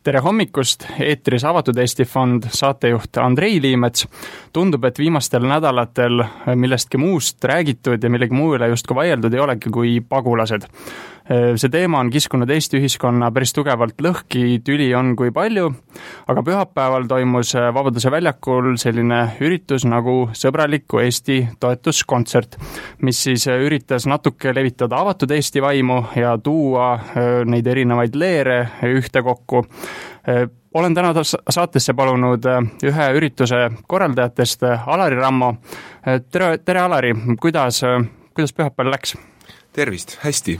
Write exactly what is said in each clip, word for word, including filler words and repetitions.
tere hommikust, eetris Avatud Eesti Fond, saatejuht Andrei Liimets. Tundub, et viimastel nädalatel millestki muust räägitud ja millegi muu üle justkui vaieldud ei olegi kui pagulased. See teema on kiskunud Eesti ühiskonna päris tugevalt lõhki, tüli on kui palju, aga pühapäeval toimus Vabaduse väljakul selline üritus nagu Sõbraliku Eesti toetuskontsert, mis siis üritas natuke levitada avatud Eesti vaimu ja tuua neid erinevaid leere ühte kokku. Olen täna saatesse palunud ühe ürituse korraldajatest, Alari Rammo. Tere, tere Alari, kuidas, kuidas pühapäeval läks? Tervist, hästi.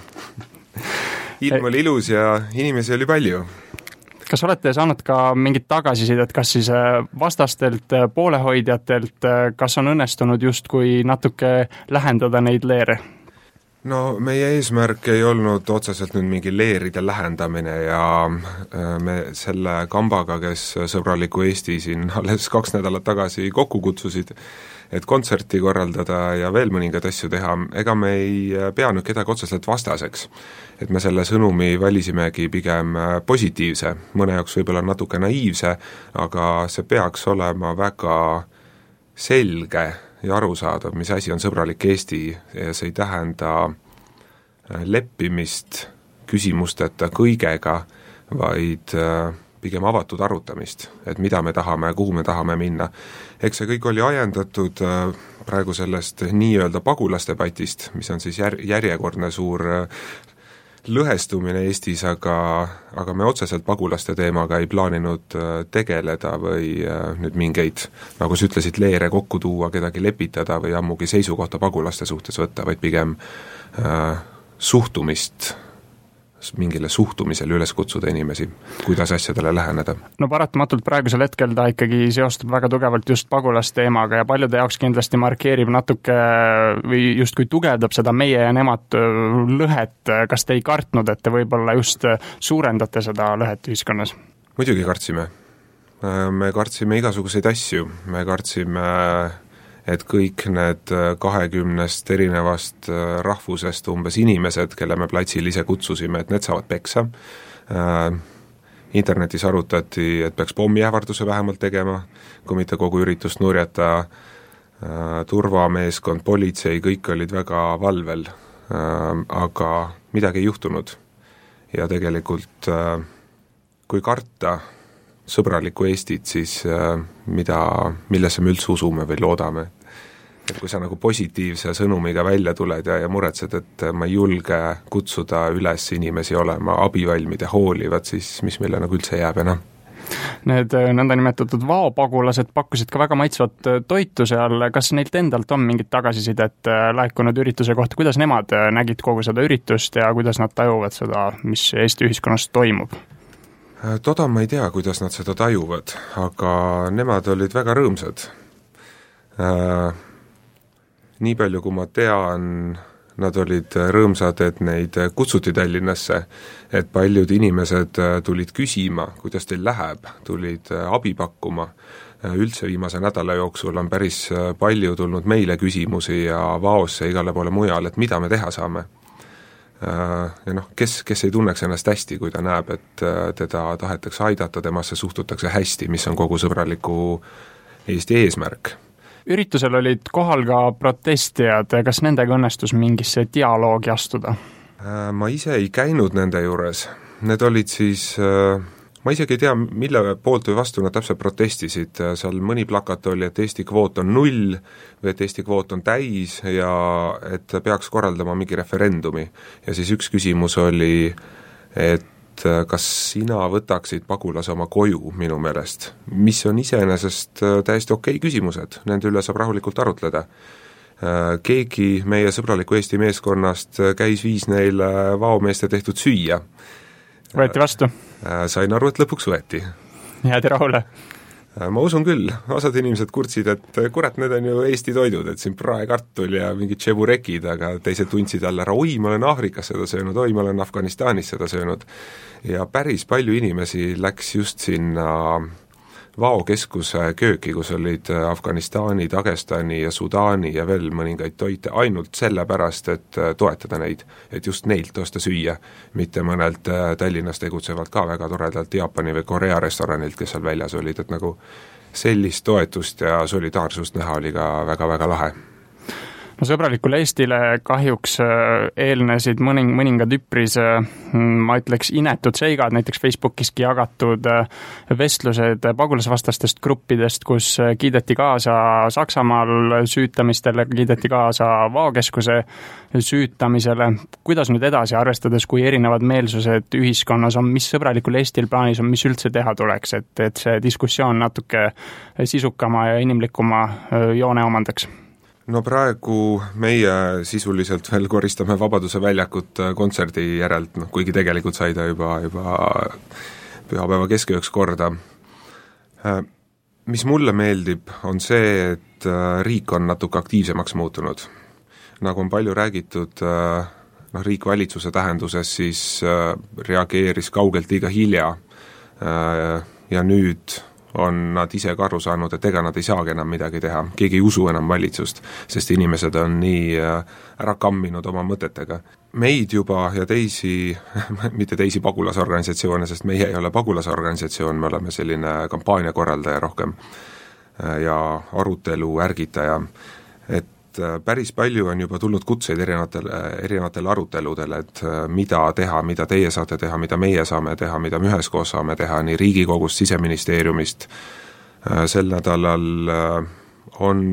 Ilm oli ilus ja inimesi oli palju. Kas olete saanud ka mingit tagasisidet, kas siis vastastelt, poolehoidjatelt, kas on õnnestunud justkui natuke lähendada neid leere? No meie eesmärk ei olnud otseselt nüüd mingi leeride lähendamine ja me selle kambaga, kes Sõbraliku Eesti siin alles kaks nädalat tagasi kokku kutsusid, et kontserti korraldada ja veel mõningad asju teha, ega me ei pea nüüd kedagi otseselt vastaseks. Et me selle sõnumi valisimegi pigem positiivse, mõne jaoks võib-olla natuke naiivse, aga see peaks olema väga selge ja arusaadav, mis asi on Sõbralik Eesti ja see ei tähenda leppimist küsimusteta kõigega, vaid pigem avatud arutamist, et mida me tahame, kuhu me tahame minna. Eks see kõik oli ajendatud praegu sellest nii-öelda pagulasdebatist, mis on siis jär- järjekordne suur lõhestumine Eestis, aga, aga me otseselt pagulaste teemaga ei plaaninud tegeleda või nüüd mingeid, nagu sa ütlesid, leere kokku tuua, kedagi lepitada või ammugi seisukohta pagulaste suhtes võtta, vaid pigem äh, suhtumist, mingile suhtumisele üles kutsuda inimesi, kuidas asjadele läheneda. No paratamatult praegusel hetkel ta ikkagi seostub väga tugevalt just pagulasteemaga ja paljude jaoks kindlasti markeerib natuke või justkui tugevdab seda meie ja nemad lõhet. Kas te ei kartnud, et te võib-olla just suurendate seda lõhet ühiskonnas? Muidugi kartsime. Me kartsime igasuguseid asju. Me kartsime, et kõik need kahekümnest erinevast rahvusest umbes inimesed, kelle me platsil ise kutsusime, et need saavad peksa. Internetis arutati, et peaks pommiähvarduse vähemalt tegema, kui mitte kogu üritust nurjata. Turvameeskond, politsei, kõik olid väga valvel, aga midagi ei juhtunud. Ja tegelikult, kui karta Sõbralikku Eestit, siis mida, millesse me üldse usume või loodame. Et kui sa nagu positiivse sõnumiga välja tuled ja, ja muretsed, et ma ei julge kutsuda üles inimesi olema abivalmid ja hoolivad, siis mis meile nagu üldse jääb enam? Need nõndanimetatud vaopagulased pakkusid ka väga maitsvat toitu seal, kas neilt endalt on mingit tagasisidet laekunud ürituse kohta, kuidas nemad nägid kogu seda üritust ja kuidas nad tajuvad seda, mis Eesti ühiskonnas toimub? Toda ma ei tea, kuidas nad seda tajuvad, aga nemad olid väga rõõmsad. Äh, nii palju, kui ma tean, nad olid rõõmsad, et neid kutsuti Tallinnasse, et paljud inimesed tulid küsima, kuidas teil läheb, tulid abi pakkuma. Üldse viimase nädala jooksul on päris palju tulnud meile küsimusi ja vaosse igale poole mujal, et mida me teha saame. Ja noh, kes, kes ei tunneks ennast hästi, kui ta näeb, et teda tahetakse aidata, temasse suhtutakse hästi, mis on kogu Sõbraliku Eesti eesmärk. Üritusel olid kohal ka protestijad, kas nendega õnnestus mingisse dialoogi astuda? Ma ise ei käinud nende juures, need olid siis, ma isegi ei tea, mille poolt või vastu nad täpselt protestisid, seal mõni plakat oli, et Eesti kvoot on null või et Eesti kvoot on täis ja et peaks korraldama mingi referendumi. Ja siis üks küsimus oli, et kas sina võtaksid pagulase oma koju minu meelest, mis on iseenesest täiesti okei küsimused, nende üle saab rahulikult arutleda. Keegi meie Sõbraliku Eesti meeskonnast käis viis neile vaomeeste tehtud süüa. Võeti vastu? Sain aru, et lõpuks võeti. Jäädi rahule? Ma usun küll, osad inimesed kurtsid, et kurat, need on ju Eesti toidud, et siin praekartul ja mingid tšeburekid, aga teised tundsid jälle ära, oi, ma olen Aafrikas seda söönud, oi, ma olen Afganistanis seda söönud. Ja päris palju inimesi läks just sinna vaokeskuse kööki, kus olid Afganistani, Dagestani ja Sudaani ja veel mõningaid toite ainult sellepärast, et toetada neid, et just neilt osta süüa, mitte mõnelt Tallinnas tegutsevalt ka väga toredalt Jaapani või Korea restoranilt, kes seal väljas olid, et nagu sellist toetust ja solidaarsust näha oli ka väga-väga lahe. No sõbralikule Eestile kahjuks eelnesid mõning, mõningad üpris, ma ütleks, inetud seigad, näiteks Facebookiski jagatud vestlused pagulasvastastest gruppidest, kus kiideti kaasa Saksamaal süütamistele, kiideti kaasa vaokeskuse süütamisele. Kuidas nüüd edasi, arvestades, kui erinevad meelsused ühiskonnas on, mis sõbralikul Eestil plaanis on, mis üldse teha tuleks, et, et see diskussioon natuke sisukama ja inimlikuma joone omandaks? No praegu meie sisuliselt veel koristame Vabaduse väljakut kontserdi järelt, noh, kuigi tegelikult sai ta juba, juba pühapäeva keskööks korda. Mis mulle meeldib, on see, et riik on natuke aktiivsemaks muutunud. Nagu on palju räägitud, noh, riik valitsuse tähenduses siis reageeris kaugelt liiga hilja ja nüüd on nad ise ka aru saanud, et ega nad ei saagi enam midagi teha, keegi ei usu enam valitsust, sest inimesed on nii ära kamminud oma mõtetega. Meid juba ja teisi, mitte teisi pagulasorganisatsioone, sest meie ei ole pagulasorganisatsioon, me oleme selline kampaaniakorraldaja rohkem ja arutelu ärgitaja, et päris palju on juba tulnud kutseid erinevatele, erinevatele aruteludele, et mida teha, mida teie saate teha, mida meie saame teha, mida me üheskoos saame teha, nii Riigikogust, Siseministeeriumist. Sel nädalal on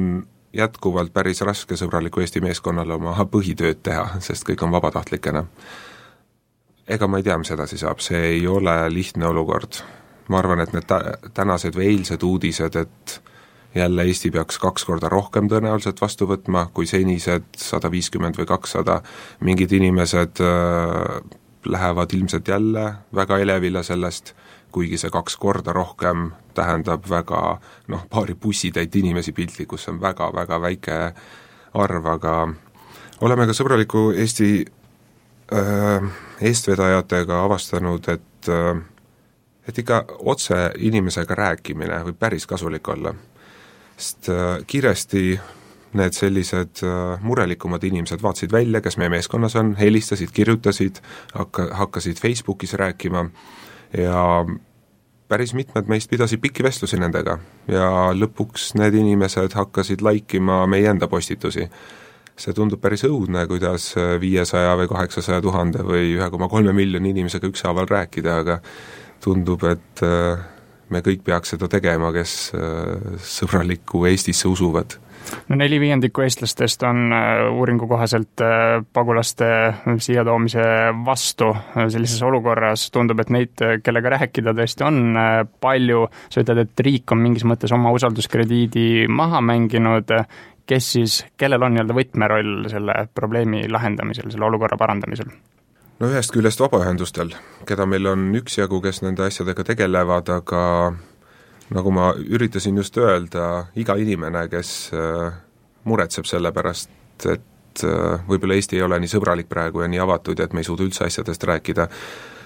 jätkuvalt päris raske sõbraliku Eesti meeskonnale oma põhitööd teha, sest kõik on vabatahtlikena. Ega ma ei tea, mis edasi saab, see ei ole lihtne olukord. Ma arvan, et need tänased või eilsed uudised, et jälle Eesti peaks kaks korda rohkem tõenäoliselt vastu võtma, kui senised sada viiskümmend või kakssada. Mingid inimesed äh, lähevad ilmselt jälle väga elevile sellest, kuigi see kaks korda rohkem tähendab väga, noh, paari bussitäit inimesi piltli, kus on väga-väga väike arv, aga oleme ka sõbraliku Eesti äh, eestvedajatega avastanud, et, äh, et ikka otse inimesega rääkimine võib päris kasulik olla. Sest kiiresti need sellised murelikumad inimesed vaatasid välja, kes meie meeskonnas on, helistasid, kirjutasid, hakka, hakkasid Facebookis rääkima ja päris mitmed meist pidasid pikki vestlusi nendega ja lõpuks need inimesed hakkasid laikima meie enda postitusi. See tundub päris õudne, kuidas viiesaja või kaheksasaja tuhande või üks koma kolm miljoni inimesega ükshaaval rääkida, aga tundub, et me kõik peaks seda tegema, kes sõbralikku Eestisse usuvad. No neli viiendikku eestlastest on uuringu kohaselt pagulaste siia toomise vastu. Sellises olukorras tundub, et neid, kellega rääkida tõesti on palju. Sa ütled, et riik on mingis mõttes oma usalduskrediidi maha mänginud. Kes siis, kellel on jälle võtmeroll selle probleemi lahendamisel, selle olukorra parandamisel? No ühest küljest vabaühendustel, keda meil on üksjagu, kes nende asjadega tegelevad, aga nagu ma üritasin just öelda, iga inimene, kes muretseb selle pärast, et võib-olla Eesti ei ole nii sõbralik praegu ja nii avatud ja et me ei suuda üldse asjadest rääkida,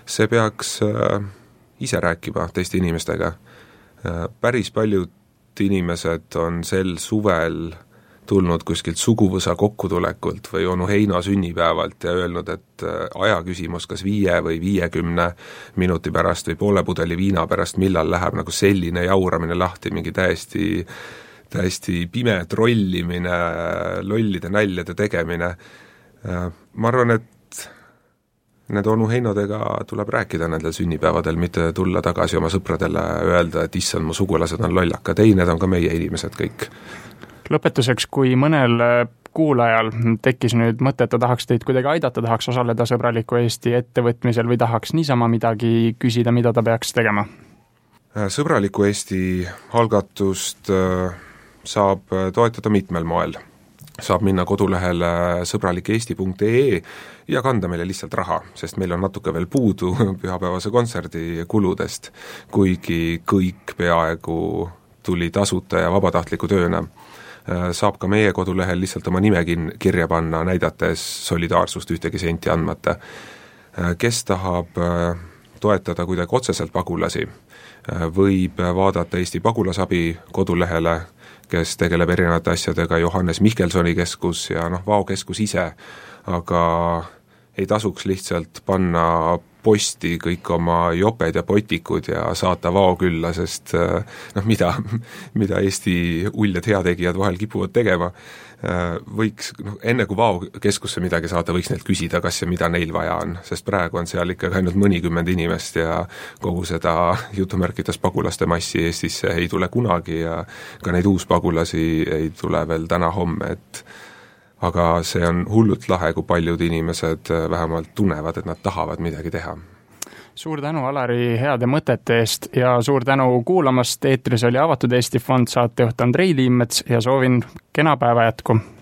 see peaks ise rääkima teiste inimestega. Päris paljud inimesed on sel suvel tulnud kuskilt suguvõsa kokkutulekult või onu Heino sünnipäevalt ja öelnud, et aja küsimus kas viie või viiekümne minuti pärast või poole pudeli viina pärast, millal läheb nagu selline jauramine lahti, mingi täiesti, täiesti pime trollimine, lollide näljade tegemine. Ma arvan, et need onu Heinodega tuleb rääkida nendel sünnipäevadel, mitte tulla tagasi oma sõpradele öelda, et issand, mu sugulased on lollaka, ei, need on ka meie inimesed kõik. Lõpetuseks, kui mõnel kuulajal tekkis nüüd mõte, et ta tahaks teid kuidagi aidata, tahaks osaleda sõbraliku Eesti ettevõtmisel või tahaks niisama midagi küsida, mida ta peaks tegema? Sõbraliku Eesti algatust saab toetada mitmel moel. Saab minna kodulehele sõbralik eesti punkt ee ja kanda meile lihtsalt raha, sest meil on natuke veel puudu pühapäevase kontserdi kuludest, kuigi kõik peaaegu tuli tasuta ja vabatahtliku tööna. Saab ka meie kodulehel lihtsalt oma nime kirja panna, näidates solidaarsust ühtegi senti andmata. Kes tahab toetada kuidagi otseselt pagulasi, võib vaadata Eesti pagulasabi kodulehele, kes tegeleb erinevate asjadega, Johannes Mihkelsoni keskus ja noh, Vao keskus ise, aga ei tasuks lihtsalt panna posti kõik oma joped ja potikud ja saata Vao külla, sest noh, mida, mida Eesti uljad heategijad vahel kipuvad tegema, võiks, noh, enne kui Vao keskusse midagi saada, võiks neilt küsida, kas ja mida neil vaja on, sest praegu on seal ikkagi ainult mõnikümmend inimest ja kogu seda jutumärkides pagulaste massi Eestisse ei tule kunagi ja ka neid uuspagulasi ei tule veel täna-homme, et aga see on hullult lahe, kui paljud inimesed vähemalt tunnevad, et nad tahavad midagi teha. Suur tänu, Alari, heade mõtete eest ja suur tänu kuulamast. Eetris oli Avatud Eesti Fond, saatejuht Andrei Liimets ja soovin kena päeva jätku.